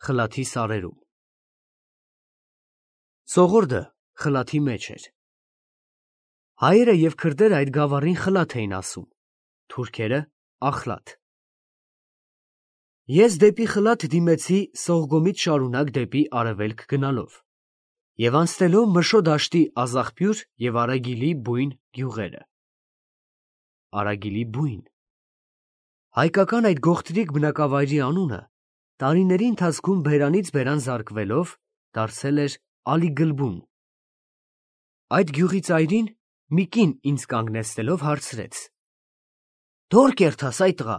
խլաթի սարերում։ Սողորդը խլաթի մեջ էր։ Հայերը և քրդերը այդ գավառին խլաթ էին ասում, թուրքերը ախլաթ։ Ես դեպի խլաթ դիմեցի Սողգոմից շարունակ դեպի արևելք գնալով և անցնելով Մշո դաշտի Ազախպյուր և Արագիլի բույն գյուղերը։ Արագիլի բույն։ Հայկական այդ գողտրիկ բնակավայրի անունը տարիների ընթացքում բերանից բերան զարկվելով դարձել էր Ալիգլբուն։ Այդ գյուղի ծայրին մի կին ինձ կանգնեցնելով հարցրեց. «Դո՞ր կերթաս այ տղա»։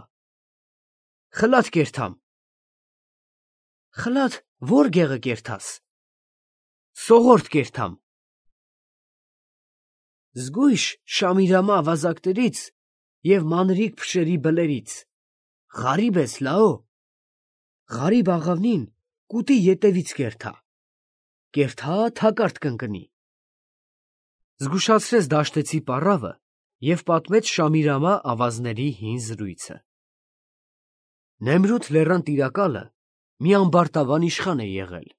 «Խլաթ կերթամ»։ «Խլաթ ո՞ր գեղը կերթաս»։ «Սողորդ կերթամ»։ «Զգույշ Շամիրամա ավազակներից և մանրիկ փշերի բլերից, ղարիբ ես լաո, ղարիբ աղավնին կուտի ետևից կերթա, կերթա թակարդ կընկնի»։ Զգուշացրեց դաշտեցի պառավը և պատմեց Շամիրամա ավազների հին զրույցը։ Նեմրութ լեռան տիրակալը մի ամբարտավան իշխան է եղել։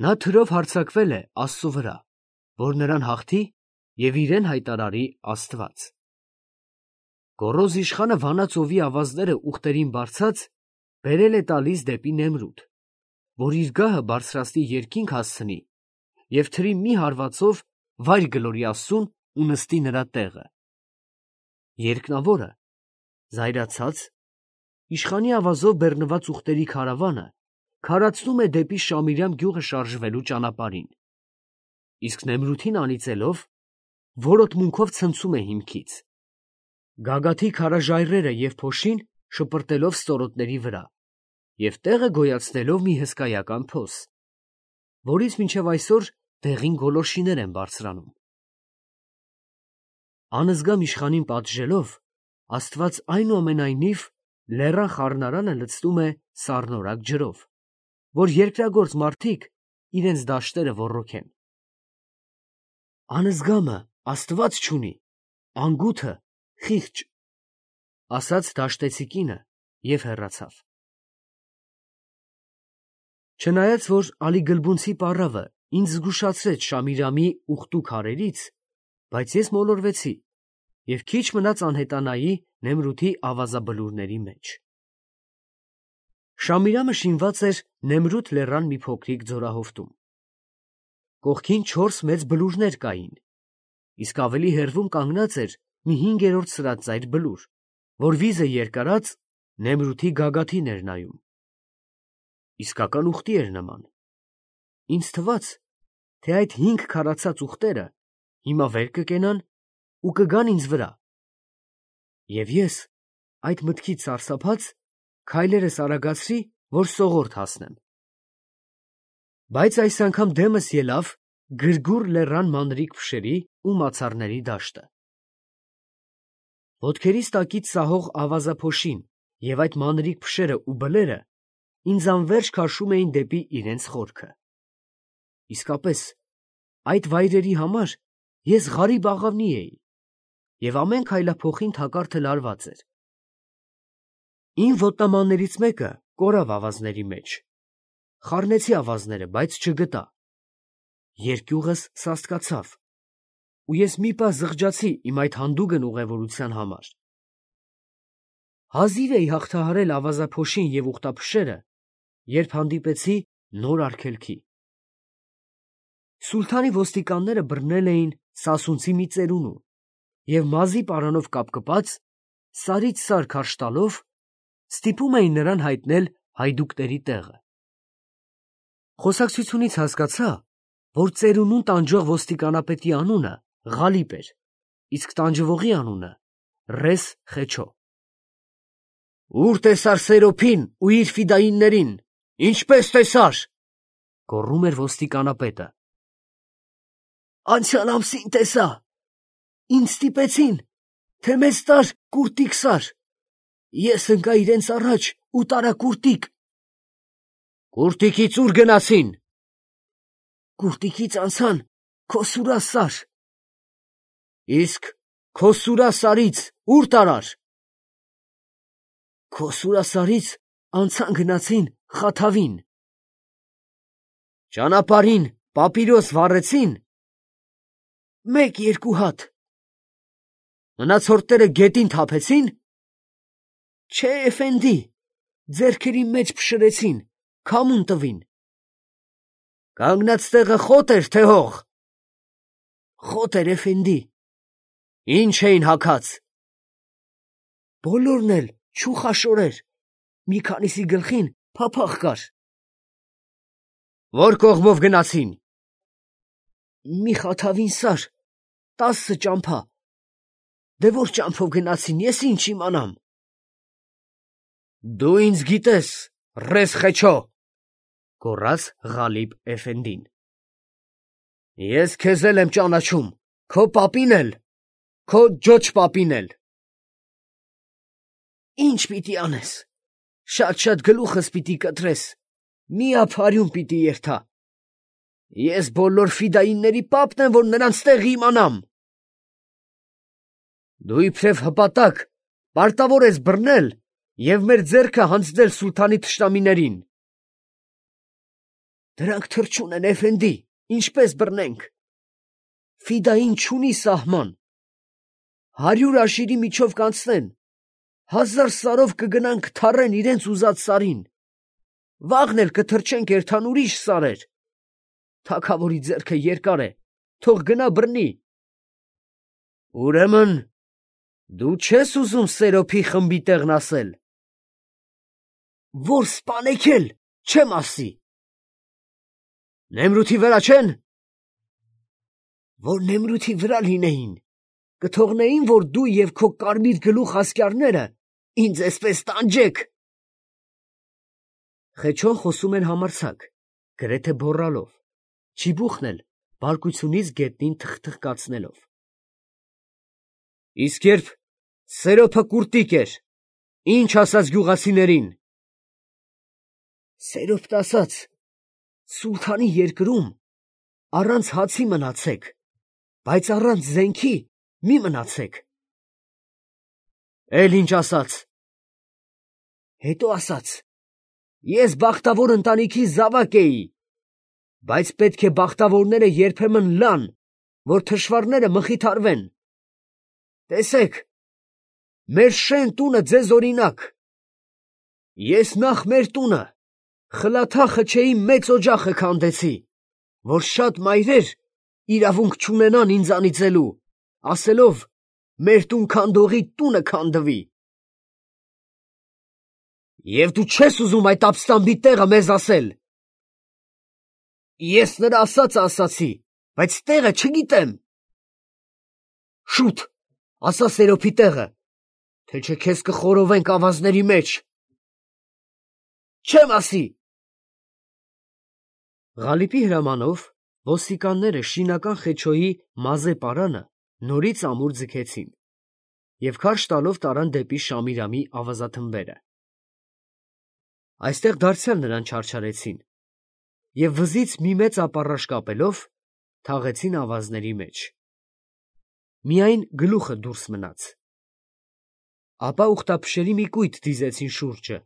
Նա թրով հարձակվել է Աստծու վրա, որ նրան հաղթի և իրեն հայտարարի Աստված։ Գոռոզ իշխանը Վանա ծովի ավազները ուղտերին բարձած բերել է տալիս դեպի Նեմրութ, որ իր գահը բարձրացնի երկինք հասցնի և թրի մի հարվածով վայր գլորի Աստծուն ու նստի նրա տեղը։ Երկնավորը, զայրացած, իշխանի ավազով բեռնված ուղտերի քարավանը քարացնում է դեպի Շամիրամ գյուղը շարժվելու ճանապարհին, իսկ Նեմրութին անիծելով, որոտմունքով ցնցում է հիմքից, գագաթի քարաժայռերը և փոշին շպրտելով ստորոտների վրա և տեղը գոյացնելով մի հսկայական փոս, որից մինչև այսօր դեղին գոլորշիներ են բարձրանում։ Անզգամ իշխանին պատժելով, Աստված այնուամենայնիվ լեռան խառնարանը լցնում է սառնորակ ջրով, որ երկրագործ մարդիկ իրենց դաշտերը ոռոգեն։ «Անզգամը Աստված չունի, անգութը խիղճ», ասաց դաշտեցի կինը և հեռացավ։ Չնայած որ Ալիգլբունցի պառավը ինձ զգուշացրեց Շամիրամի ուղտու քարերից, բայց ես մոլորվեցի և քիչ մնաց անհետանայի Նեմրութի ավազաբլուրների մեջ։ Շամիրամը շինված էր Նեմրութ լեռան մի փոքրիկ ձորահովտում։ Կողքին 4 մեծ բլուրներ կային, իսկ ավելի հեռվում կանգնած էր մի 5-րդ սրածայր բլուր, որ վիզը երկարած Նեմրութի գագաթին էր նայում։ Իսկական ուղտի էր նման։ Ինձ թվաց, թե այդ 5 քարացած ուղտերը հիմա վեր կկենան ու կգան ինձ վրա։ Եվ ես, այդ մտքից սարսափած, քայլերս արագացրի, որ Սողորդ հասնեմ։ Բայց այս անգամ դեմս ելավ գրգուռ լեռան մանրիկ փշերի ու մացառների դաշտը։ Ոտքերիս տակից սահող ավազափոշին և այդ մանրիկ փշերը ու բլերը ինձ անվերջ քաշում էին դեպի իրենց խորքը։ Իսկապես, այդ վայրերի համար ես ղարիբ աղավնի էի, և ամեն քայլափոխին թակարդը լարված էր։ Իմ ոտնամաններից մեկը կորավ ավազների մեջ։ Խառնեցի ավազները, բայց չգտա։ Երկյուղս սաստկացավ, ու ես մի պահ զղջացի իմ այդ հանդուգն ուղևորության համար։ Հազիվ էի հաղթահարել ավազափոշին և ուղտափշերը, երբ հանդիպեցի նոր արգելքի։ Սուլթանի ոստիկանները բռնել էին սասունցի մի ծերունու և մազի պարանով կապկպած, սարից սար քարշ տալով, ստիպում էին նրան հայտնել հայդուկների տեղը։ Խոսակցությունից հասկացա, որ ծերունուն տանջող ոստիկանապետի անունը Ղալիբ էր, իսկ տանջվողի անունը Ռես Խեչո։ «Ո՞ւր տեսար Սերոփին ու իր ֆիդայիններին, ինչպե՞ս տեսար», գոռում էր ոստիկանապետը։ «Անցյալ ամսին տեսա, ինձ ստիպեցին, թե մեզ տար կուրտիկ սար, ես ընկա իրենց առաջ ու տարա կուրտիկ»։ «Կուրտիկից ո՞ւր գնացին»։ «Կուրտիկից անցան Քոսուրա սար»։ «Իսկ Քոսուրա սարից ո՞ւր տարար»։ «Քոսուրա սարից անցան գնացին Խաթավին։ Ճանապարհին պապիրոս վառեցին։ 1-2 հատ։ Մնացորդները գետին թափեցին։ Չէ, էֆենդի, ձեռքերի մեջ փշրեցին, քամուն տվին։ Կանգնած տեղը խոտ էր, թե հող։ Խոտ էր, էֆենդի։ Ինչ էին հագած։ Բոլորն էլ չուխաշորեր, մի քանիսի գլխին փափախ կար։ Որ կողմով գնացին։ Մի խաթավին սար, 10 ճամփա։ Դե որ ճամփով գնացին, ես ինչ իմանամ։ Դու ինձ գիտես, ռես խեչո, գոռաց Ղալիբ էֆենդին։ Ես քեզ էլ եմ ճանաչում, քո պապին էլ, քո ջոջ պապին էլ։ Ինչ պիտի անես, շատ գլուխս պիտի կտրես, մի ափարյուն պիտի երթա։ Ես բոլոր ֆիդայինների պապն եմ, որ նրանց տեղը իմանամ։ Դու իբրև հպատակ պարտավոր ես բռնել և մեր ձեռքը հանձնել սուլթանի թշնամիներին։ Դրանք թռչուն են, էֆենդի, ինչպես բռնենք։ Ֆիդային չունի սահման։ 100 աշիրի միջով կանցնեն, 1000 սարով կգնան կթառեն իրենց ուզած սարին։ Վաղն էլ կթռչենք երթան ուրիշ սարեր։ Թագավորի ձեռքը երկար է, թող գնա բռնի։ Ուրեմն դու չես ուզում Սերոփի խմբի տեղն ասել։ Որ սպանեք էլ, չեմ ասի։ Նեմրութի վրա չեն։ Որ Նեմրութի վրա լինեին, կթողնեին, որ դու և քո կարմիր գլուխ ասկյարները ինձ էսպես տանջեք։ Խեչոն խոսում էր համարձակ, գրեթե բոռալով, չիբուխն էլ բարկությունից գետնին թխթխկացնելով։ Իսկ երբ Սերոփը կուրտիկ էր, ինչ ասաց գյուղացիներին։ Սերոփն ասաց. սուլթանի երկրում առանց հացի մնացեք, բայց առանց զենքի մի մնացեք։ Էլ ինչ ասաց։ Հետո ասաց. ես բախտավոր ընտանիքի զավակ էի, բայց պետք է բախտավորները երբեմն լան, որ թշվառները մխիթարվեն։ Տեսեք, մեր շեն տունը ձեզ օրինակ։ Ես նախ մեր տունը, Խլաթա-խչեի մեծ օջախը քանդեցի, որ շատ մայրեր իրավունք չունենան ինձ անիծելու, ասելով. մեր տուն քանդողի տունը քանդվի։ Եվ դու չես ուզում այդ ապստամբի տեղը մեզ ասել։ Ես նրա ասածը ասացի, բայց տեղը չգիտեմ։ Շուտ, ասա Սերոփի տեղը, թե չէ քեզ կխորովենք ավազների մեջ։ Չեմ ասի։ Ղալիբի հրամանով ոստիկանները շինական Խեչոյի մազե պարանը նորից ամուր ձգեցին և քարշ տալով տարան դեպի Շամիրամի ավազաթմբերը։ Այստեղ դարձյալ նրան չարչարեցին և վզից մի մեծ ապառաշ կապելով թաղեցին ավազների մեջ։ Միայն գլուխը դուրս մնաց։ Ապա ուխտափշերի մի կույտ դիզեցին շուրջը,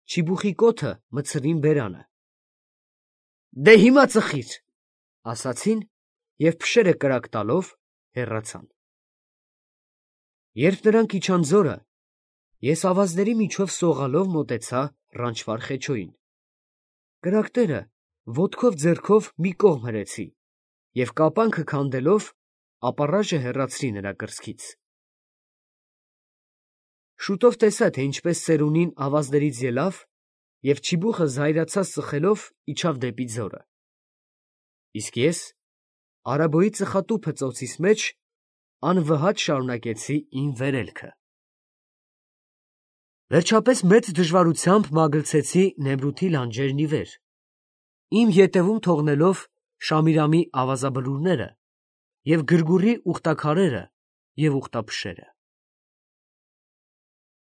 չիբուխի կոթը մտցրին բերանը։ Դե հիմա ծխիր, ասացին և փշերը կրակ տալով հեռացան։ Երբ նրանք իջան ձորը, ես ավազների միջով սողալով մոտեցա Ռանչվար Խեչոյին։ Կրակները ոտքով ձեռքով մի կողմ հրեցի և կապանքը քանդելով ապառաժը հեռացրի նրա կրծքից։ Շուտով տեսա, թե ինչպես ծերունին ավազներից ելավ և չիբուխը զայրացած ծխելով իջավ դեպի ձորը։ Իսկ ես արաբոյի ծխատուփը ծոցիս մեջ անվհատ շարունակեցի իմ վերելքը։ Վերջապես մեծ դժվարությամբ մագլցեցի Նեմրութի լանջերն ի վեր, իմ ետևում թողնելով Շամիրամի ավազաբլուրները և գրգուռի ուխտաքարերը և ուխտափշերը։